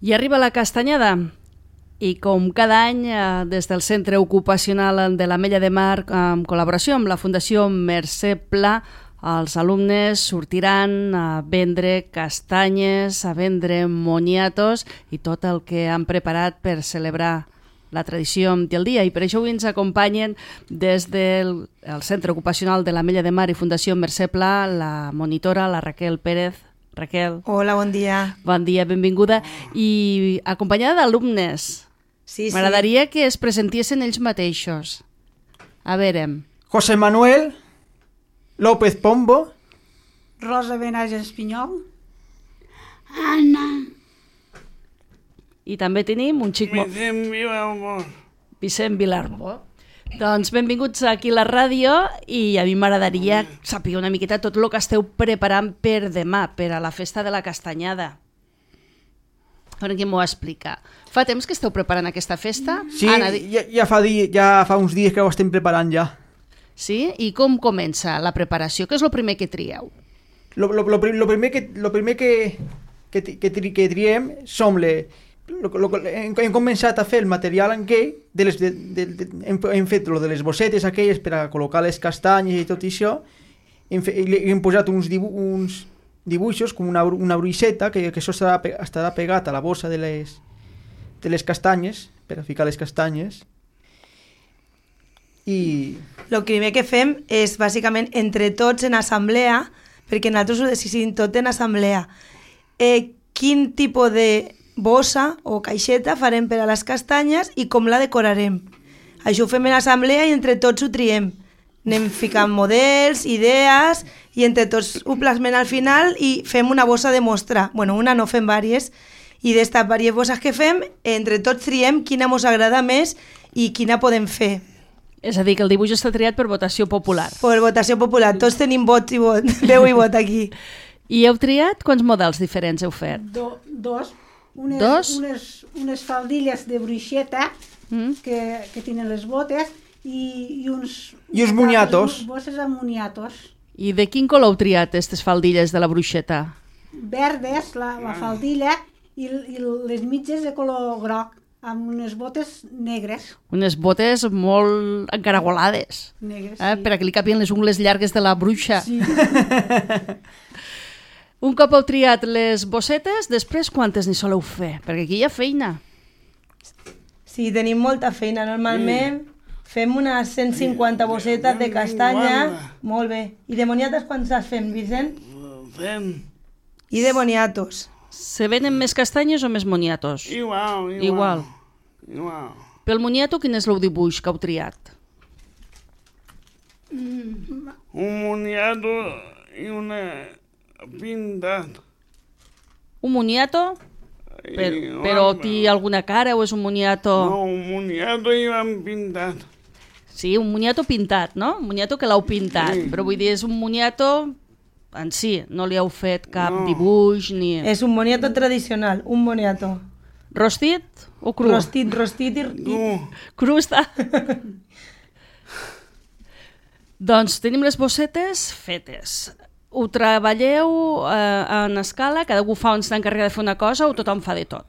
I arriba la castanyada i com cada any des del Centre Ocupacional de l'Ametlla de Mar en col·laboració amb la Fundació Mercè Pla els alumnes sortiran a vendre castanyes, a vendre moniatos i tot el que han preparat per celebrar la tradició del dia i per això avui ens acompanyen des del Centre Ocupacional de l'Ametlla de Mar i Fundació Mercè Pla la monitora, la Raquel Pérez. Raquel. Hola, bon dia. Bon dia, benvinguda. I acompanyada d'alumnes. Sí. M'agradaria que es presentessin ells mateixos. A veure. José Manuel López Pombo. Rosa Benàs Espinyol. Anna. I també tenim un xic... Vicent Vilarbo. Vicent Vilarbo. Doncs benvinguts aquí a la ràdio i a mi m'agradaria saber una miqueta tot el que esteu preparant per demà, per a la festa de la castanyada. A veure qui m'ho explica. Fa temps que esteu preparant aquesta festa? Sí, Anna, ja fa uns dies que ho estem preparant ja. Sí? I com comença la preparació? Què és el primer que trieu? Lo primer que triem som hem començat a fer el material en què hem fet lo de les bossetes aquelles per a col·locar les castanyes i tot això. Hem posat uns dibuixos com una bruixeta que això estarà pegat a la bossa de les castanyes per a ficar les castanyes. I el primer que fem és bàsicament entre tots en assemblea, perquè nosaltres ho decidim tot en assemblea, quin tipus de bossa o caixeta farem per a les castanyes i com la decorarem. Això ho fem en assemblea i entre tots ho triem. Anem ficant models, idees i entre tots ho plasmem al final i fem una bossa de mostra. Bueno, una no, fem vàries. I d'estes diverses bosses que fem, entre tots triem quina ens agrada més i quina podem fer. És a dir, que el dibuix està triat per votació popular. Per votació popular. Tots tenim vot i vot, veu i vot aquí. I heu triat? Quants models diferents heu fet? Dos. Dos? Unes faldilles de bruixeta que tenen les botes i uns moniatos. Bosses amb moniatos. I de quin color heu triat aquestes faldilles de la bruixeta? Verdes, la faldilla, i les mitges de color groc, amb unes botes negres. Unes botes molt encaragolades. Negres, sí. Per a que li capien les ungles llargues de la bruixa. Sí. Un cop heu triat les bossetes, després quantes n'hi soleu fer? Perquè aquí hi ha feina. Sí, tenim molta feina. Normalment fem unes 150 bossetes de castanya. Molt bé. I de moniatos quantes fem, Vicent? Fem. I de moniatos? Se venen més castanyes o més moniatos? Igual. Pel moniato, quin és el dibuix que heu triat? Un moniato i una pintat. Un moniato? Però té alguna cara o és un moniato? No, un moniato i l'han pintat. Sí, un moniato pintat, no? Un moniato que l'heu pintat. Sí. Però vull dir, és un moniato en si, no li heu fet cap dibuix ni... És un moniato tradicional, un moniato. Rostit o cru? Rostit i... Cru està. Doncs tenim les bossetes fetes. Ho treballeu en escala? Cada fa on s'encarrega de fer una cosa o tothom fa de tot?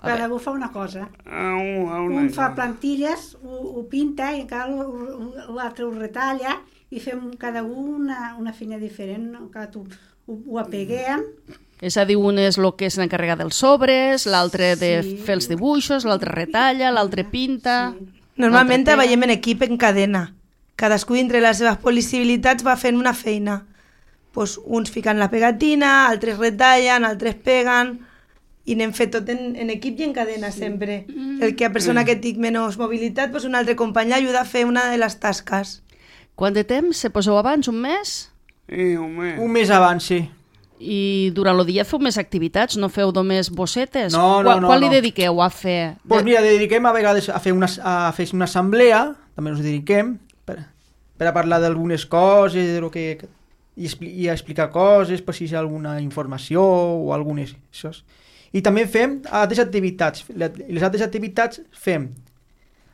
Cada un fa una cosa. Un fa plantilles, ho pinta i l'altre ho retalla i fem cada un una feina diferent. Ho apeguem. És a dir, un és el que s'encarrega dels sobres, l'altre de fer els dibuixos, l'altre retalla, l'altre pinta... Sí. Normalment treballem en equip en cadena. Cadascú dintre les seves possibilitats va fent una feina. Pues uns fiquen la pegatina, altres retallen, altres peguen i anem fet tot en equip i en cadena sempre. El que a persona que tingui menys mobilitat, pues un altre company ajuda a fer una de les tasques. Quant de temps se poseu abans? Un mes? Un mes abans, sí. I durant el dia feu més activitats? No feu només bossetes? No. Quan li dediqueu a fer? Doncs mira, dediquem a vegades a fer una assemblea, també ens dediquem, per a parlar d'algunes coses, de lo que... i a explicar coses, per si hi ha alguna informació o algunes... Això. I també fem altres activitats. Les altres activitats fem...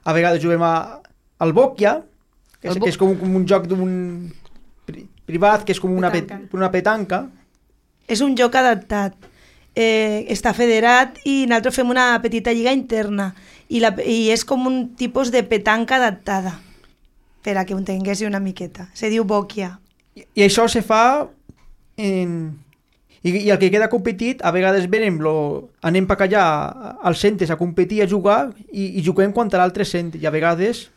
A vegades juguem al bòquia, que és com un joc privat, que és com una petanca. És un joc adaptat. està federat i nosaltres fem una petita lliga interna i és com un tipus de petanca adaptada, per a que ho entenguéssiu una miqueta. Se diu bòquia. I això se fa i el que queda competit, a vegades anem per allà als centres a competir, a jugar i juguem contra l'altre centre i a vegades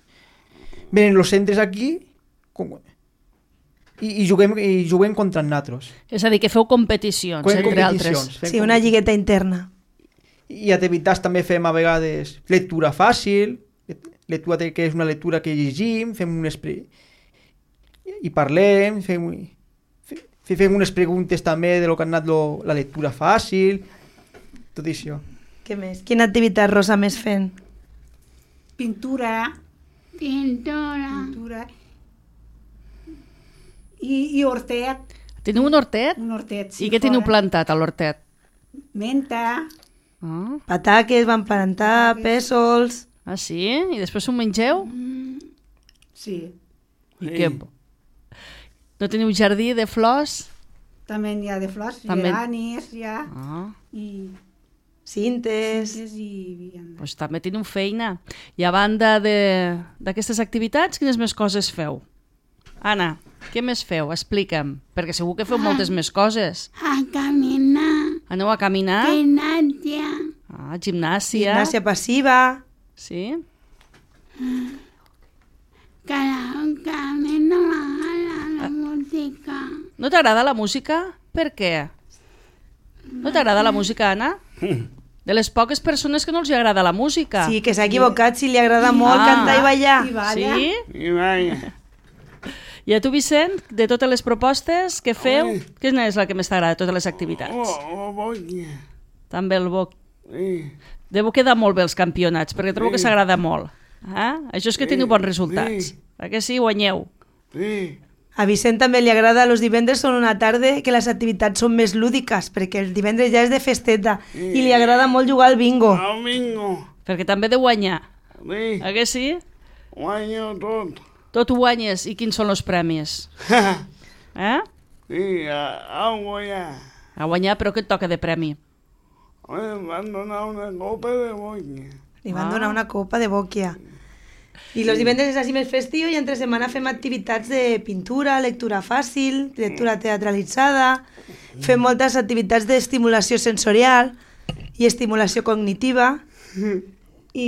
venen els centres aquí i juguem contra nosaltres. És a dir, que feu competicions entre altres. Sí, una lligueta interna. I a TV3 també fem a vegades lectura fàcil, lectura que és una lectura que llegim, fem i parlem, fem unes preguntes també de lo que ha anat la lectura fàcil, tot això. Què més? Quina activitat, Rosa, més fent? Pintura. I hortet. Teniu un hortet? Un hortet, sí. I què teniu plantat a l'hortet? Menta. Ah. Pataques, van plantar, pèsols... Ah, sí? I després ho mengeu? Sí. I què? No teniu jardí de flors? També n'hi ha de flors, També... geranis, ja. Ah. I cintes... Pues també teniu feina. I a banda d'aquestes activitats, quines més coses feu? Anna, què més feu? Explica'm, perquè segur que feu moltes més coses. A caminar. Aneu a caminar? Gimnàsia. Ah, gimnàsia. Gimnàsia passiva. Sí? Karaoke, no m'agrada la música. No t'agrada la música? Per què? No t'agrada la música, Anna? De les poques persones que no els agrada la música. Sí, que s'ha equivocat, si li agrada molt cantar i ballar. Sí? I vaja. I a tu, Vicent, de totes les propostes que feu, quina és la que més t'agrada de totes les activitats? Bòquia. També el boc. Sí. Deu quedar molt bé els campionats, perquè trobo que s'agrada molt. Això és que teniu bons resultats. Que sí, guanyeu. Sí. A Vicent també li agrada, els divendres són una tarda que les activitats són més lúdiques, perquè el divendres ja és de festeta i li agrada molt jugar al bingo. El bingo. Perquè també de guanyar. Sí. Que sí? Guanyo tot. Tot ho guanyes. I quins són els premis? Sí, a guanyar. A guanyar, però què et toca de premi? Em van donar una copa de bòquia. Li van donar una copa de bòquia. I els divendres és així més festiu i entre setmana fem activitats de pintura, lectura fàcil, lectura teatralitzada, fem moltes activitats d'estimulació sensorial i estimulació cognitiva i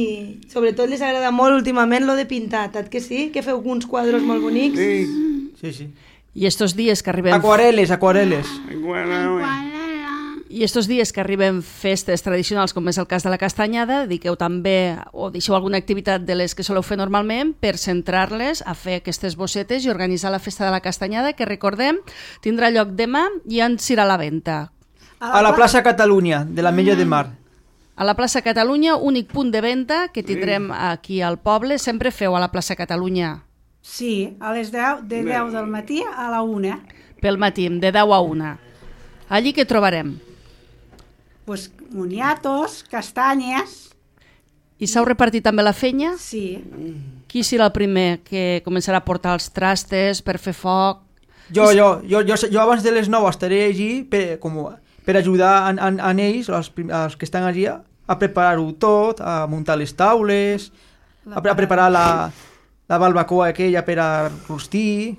sobretot les agrada molt últimament lo de pintar, tant que sí? Que feu uns quadros molt bonics? Sí. I estos dies que arribem... Aquarel·les. I estos dies que arriben festes tradicionals, com és el cas de la castanyada, dediqueu també, o deixeu alguna activitat de les que soleu fer normalment per centrar-les a fer aquestes bossetes i organitzar la festa de la castanyada, que recordem, tindrà lloc demà i en serà a la venda. A la plaça Catalunya, de l'Ametlla de Mar. A la plaça Catalunya, únic punt de venda que tindrem aquí al poble. Sempre feu a la plaça Catalunya? Sí, a les 10, de 10 del matí a la 1. Pel matí, de 10 a 1. Allí què trobarem? Pues moniatos, castanyes... I s'heu repartit també la fenya? Sí. Qui serà el primer que començarà a portar els trastes per fer foc? Jo abans de les 9 estaré allí per ajudar a ells, els que estan allí, a preparar-ho tot, a muntar les taules, a preparar la barbacoa aquella per a rostir.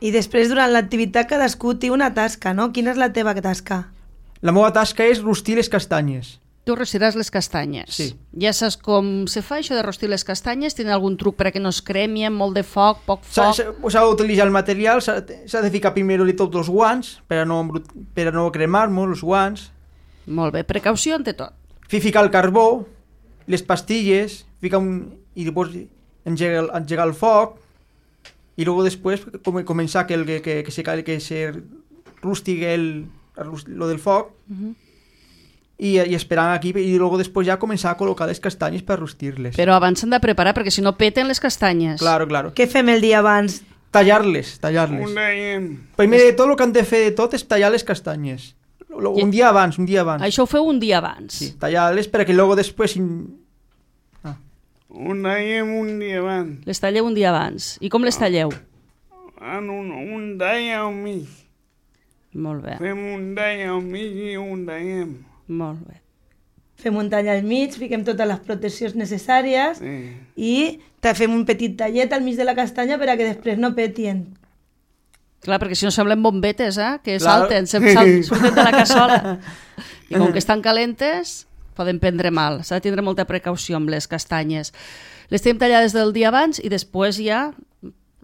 I després, durant l'activitat, cadascú té una tasca, no? Quina és la teva tasca? La meva tasca és rostir les castanyes. Tu rostiràs les castanyes. Sí. Ja saps com se fa això de rostir les castanyes? Tenen algun truc perquè no es cremien, molt de foc, poc foc? S'ha d'utilitzar el material, s'ha de ficar primer tots els guants per a no cremar-nos els guants. Molt bé, precaució ante tot. Ficar el carbó, les pastilles, i després engegar el foc i després començar que se rusti lo del foc i esperar aquí i després ja començar a col·locar les castanyes per rostir-les. Però abans s'han de preparar perquè si no peten les castanyes. Claro. Què fem el dia abans? Tallar-les. Primer de tot el que han de fer de tot és tallar les castanyes. Un dia abans. Això ho feu un dia abans? Sí, tallar-les perquè després... Un dia abans. Les talleu un dia abans. I com les talleu? Un dia al mig. Molt bé. Fem un dia al mig i un dia. Molt bé. Fem un tall al mig, fiquem totes les proteccions necessàries i fem un petit tallet al mig de la castanya per a que després no petien. Clar, perquè si no semblen bombetes, que Clar. salten, surten de la cassola. I com que estan calentes, poden prendre mal. S'ha de tindre molta precaució amb les castanyes. Les tenim tallades del dia abans i després ja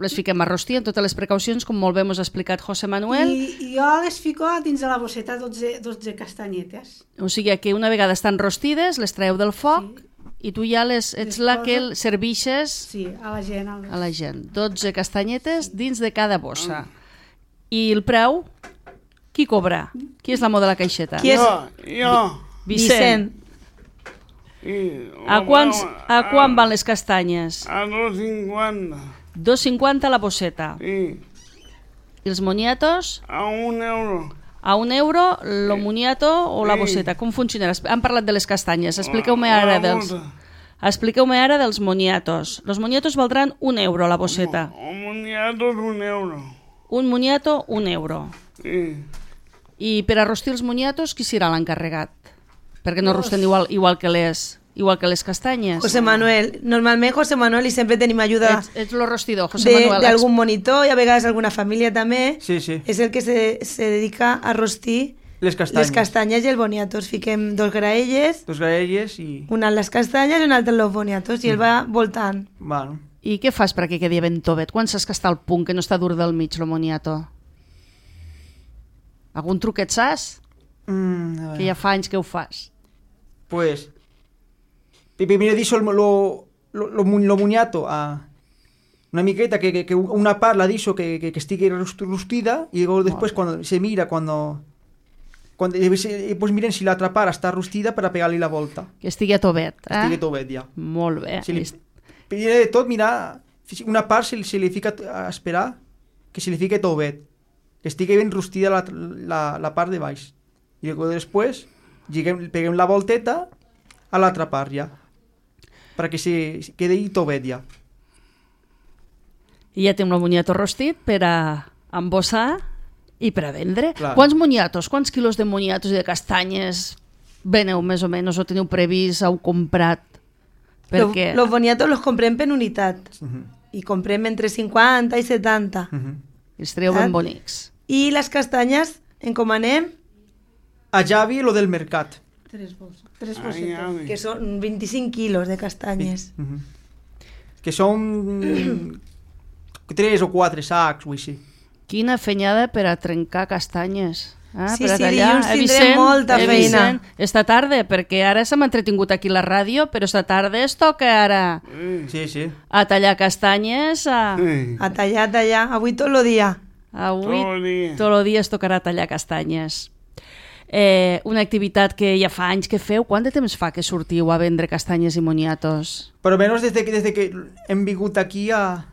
les fiquem a rostir amb totes les precaucions, com molt bé ens ha explicat José Manuel. I jo les fico dins de la bosseta 12 castanyetes. O sigui que una vegada estan rostides, les traeu del foc i tu ja ets la que serveixes Sí, a la gent. a la gent. 12 castanyetes dins de cada bossa. I el preu? Qui cobra? Qui és l'amo de la caixeta? Qui és? Jo. Vicent. A quan van les castanyes? A 2,50. 2,50 la bosseta. Sí. I els moniatos? A 1 euro. A 1 euro lo moniato o la bosseta? Com funcionarà? Han parlat de les castanyes. Expliqueu-me ara dels moniatos. Los moniatos valdran 1 euro la bosseta. Un moniato és 1 euro. Un moniato, 1 euro. Sí. I per a rostir els moniatos, qui serà l'encarregat? Perquè no rosten igual que les castanyes. José Manuel. Normalment José Manuel i sempre tenim ajuda Ets lo rostidor, José Manuel. d'algun monitor i a vegades alguna família també. Sí, sí. És el que se dedica a rostir Les castanyes. les castanyes i els boniatos. Fiquem 2 graelles, Dos graelles i... una en les castanyes i una altra en els boniatos i el va voltant. Bueno. I què fas perquè quedi ben tovet? Quan saps que està al punt, que no està dur del mig, lo moniato? Algun truquet saps? A ver. Que ja fa anys que ho fas. Pues... Primero dicho lo moniato a una miqueta que una part la dicho que estigui rostida y luego después cuando se mira pues miren si l'altra part està rostida per a pegar-li la volta. Que estigui a tovet, Estigui tovet ja. Molt bé. Primer de tot, mirar, una part se li fica a esperar que se li fique tovet, que estigui ben rostida la part de baix. I després peguem la volteta a l'altra part ja, perquè se quedi tovet ja. I ja tenim el moniato rostit per a embossar i per a vendre. Clar. Quants moniatos, quants quilos de moniatos i de castanyes veneu més o menys o teniu previst, heu comprat? Perquè... Los boniatos los comprem per unitat i comprem entre 50 i 70. Els treu ben bonics. I les castanyes encomanem A Javi lo del mercat. 3 bossetes. que són 25 quilos de castanyes. Que són 3 o 4 sacs, o així. Quina fenyada per a trencar castanyes. Sí, per a sí, tallar. dilluns tindrem molta feina. Vicent, esta tarda, perquè ara s'ha entretingut aquí la ràdio, però esta tarda es toca ara Sí, sí. a tallar castanyes. A tallar. Avui tot el dia. Avui Tot el dia. tot el dia es tocarà tallar castanyes. Una activitat que ja fa anys que feu. Quant de temps fa que sortiu a vendre castanyes i moniatos? Però menos desde que hem vingut aquí a...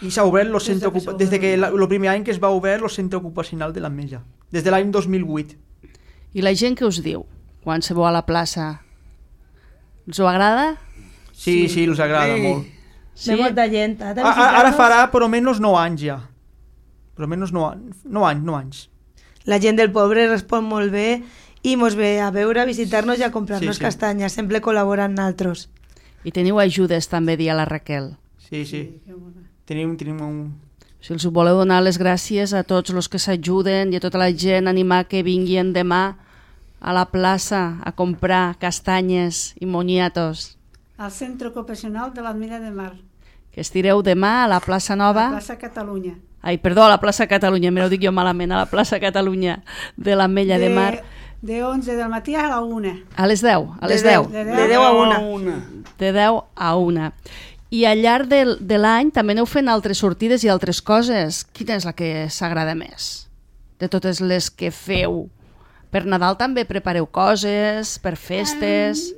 I s'ha obert el centre ocupacional, des que el primer any que es va obert el centre ocupacional de l'Ametlla, des de l'any 2008. I la gent què us diu quan se veu a la plaça? Us ho agrada? Sí, els agrada molt. Sí? Ve molta gent. Ara farà per almenys 9 anys ja. Per almenys 9 anys. La gent del poble respon molt bé i mos ve a veure, a visitar-nos i a comprar-nos Sí. castanyes. Sempre col·laboren nosaltres. I teniu ajudes també, dia la Raquel. Sí. Tenim un... Si els voleu donar les gràcies a tots els que s'ajuden i a tota la gent, animar que vinguin demà a la plaça a comprar castanyes i moniatos. Al Centre Ocupacional de l'Ametlla de Mar, Que estireu demà a la plaça a Nova... la plaça Catalunya. Ai, perdó, a la plaça Catalunya, m'ho dic jo malament, a la plaça Catalunya de l'Ametlla de Mar. De 11 del matí a la 1. A les 10, a les De 10. De 10 a 1. De 10 a 1. I al llarg de l'any també aneu fent altres sortides i altres coses. Quina és la que s'agrada més? De totes les que feu. Per Nadal també prepareu coses, per festes...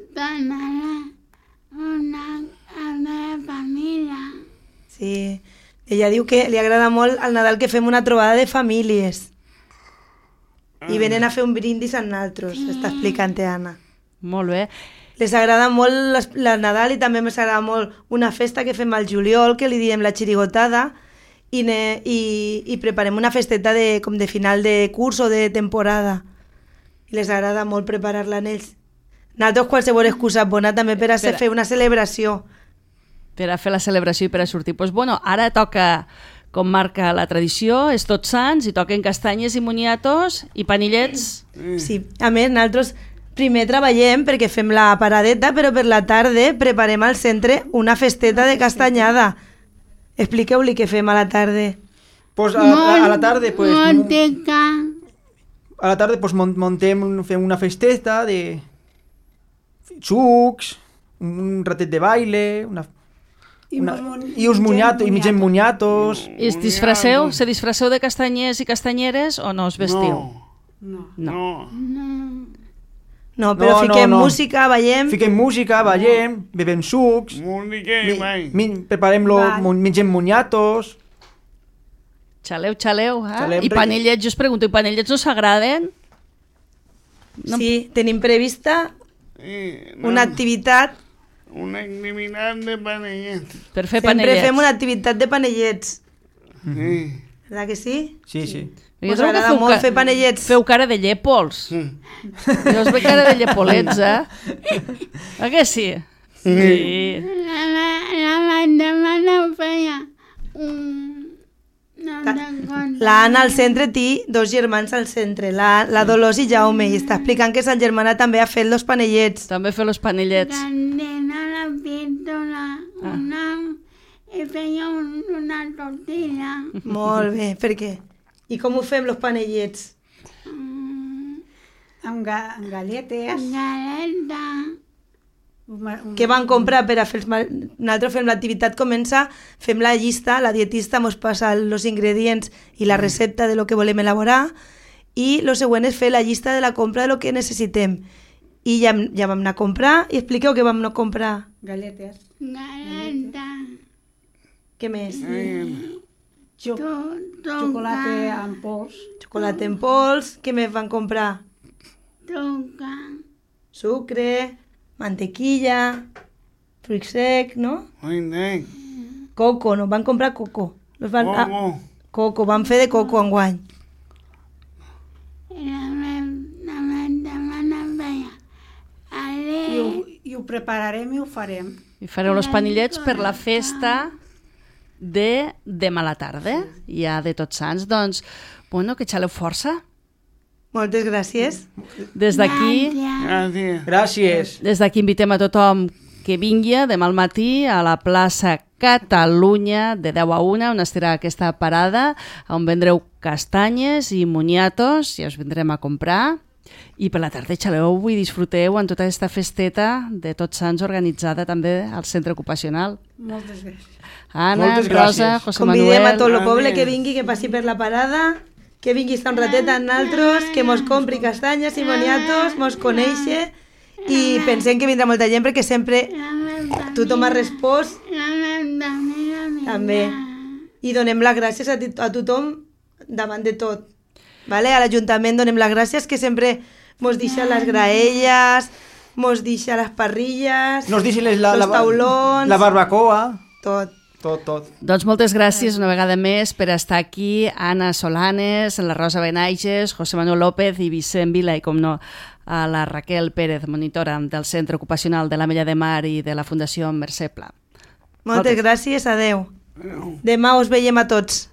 Donar a la família. Sí. Ella diu que li agrada molt al Nadal que fem una trobada de famílies. I venen a fer un brindis amb nosaltres, està explicant Anna. Molt bé. Les agrada molt la Nadal i també ens agrada molt una festa que fem al juliol, que li diem la xirigotada, i preparem una festeta com de final de curs o de temporada. i les agrada molt preparar-la en ells. Nosaltres qualsevol excusa bona també per a fer una celebració. Per a fer la celebració i per a sortir. Doncs bueno, ara toca, com marca la tradició, és Tots Sants i toquen castanyes i moniatos i panillets. Sí, a més, nosaltres primer treballem perquè fem la paradeta, però per la tarda preparem al centre una festeta de castanyada. Expliqueu-li què fem a la tarda. Pues a la tarde, pues... Manteca. A la tarda, pues fem una festeta de sucs, un ratet de baile, i uns moniatos, i mengem moniatos. I se disfresseu de castanyers i castanyeres o no us vestiu? No. No, però fiquem música, ballem... Fiquem música, ballem, bebem sucs, mengem moniatos... Xaleu, eh? I panellets, jo us pregunto, i panellets no s'agraden? No. Sí, tenim prevista una activitat... Una activitat de panellets. Per fer Sempre panellets. fem una activitat de panellets. Sí. Verdad que sí? Sí, sí. Us agrada molt fer panellets. Feu cara de llepols. Jo us veig cara de llepolets, eh? Que sí? Sí. La mare no feia La Anna al centre té 2 germans al centre, la Dolors i Jaume, i està explicant que sa germana també ha fet els panellets. També fer els panellets. Candela la pintora i feia una tortilla. Molt bé, per què? I com ho fem, els panellets? Amb galletes. Galeta. Què van comprar per a fer els... Nosaltres fem l'activitat, comença, fem la llista, la dietista ens passa els ingredients i la recepta de lo que volem elaborar, i el següent és fer la llista de la compra de lo que necessitem. I ja vam anar a comprar, i expliqueu què vam anar a comprar. Galletes. Galeta. Què més? Xocolata en pols. Xocolata en pols. Què més van comprar? Truca. Sucre, mantequilla, fruit sec, no? Fruit Coco, no? Van comprar coco. Coco, van fer de coco enguany. I ho prepararem i ho farem. I fareu els panellets per la festa de demà a la tarda, ja de Tots Sants. Doncs, bueno, que xaleu força. Moltes gràcies. Des d'aquí... Gràcies. Des d'aquí invitem a tothom que vingui demà al matí a la plaça Catalunya de 10 a 1, on estarà aquesta parada, on vendreu castanyes i moniatos, i us vindrem a comprar. I per la tarda xaleu i disfruteu en tota aquesta festeta de Tots Sants organitzada també al centre ocupacional. Moltes gràcies. Anna, Moltes Rosa, gràcies. José Manuel... Convidem a tot el poble que vingui, que passi per la parada, que vingui a estar un ratet amb nosaltres, que mos compri castanyes i moniatos, mos coneixi, i pensem que vindrà molta gent perquè sempre tothom ha respost també. I donem les gràcies a tothom davant de tot. Vale? A l'Ajuntament donem les gràcies, que sempre mos deixa les graelles, mos deixa les parrilles, Nos deixen els taulons, la barbacoa. tot. Tot. Doncs moltes gràcies una vegada més per estar aquí, Anna Solanes, la Rosa Benaiges, José Manuel López i Vicent Vila, i com no, a la Raquel Pérez, monitora del Centre Ocupacional de l'Ametlla de Mar i de la Fundació Mercè Pla. Moltes gràcies, adeu. Demà us veiem a tots.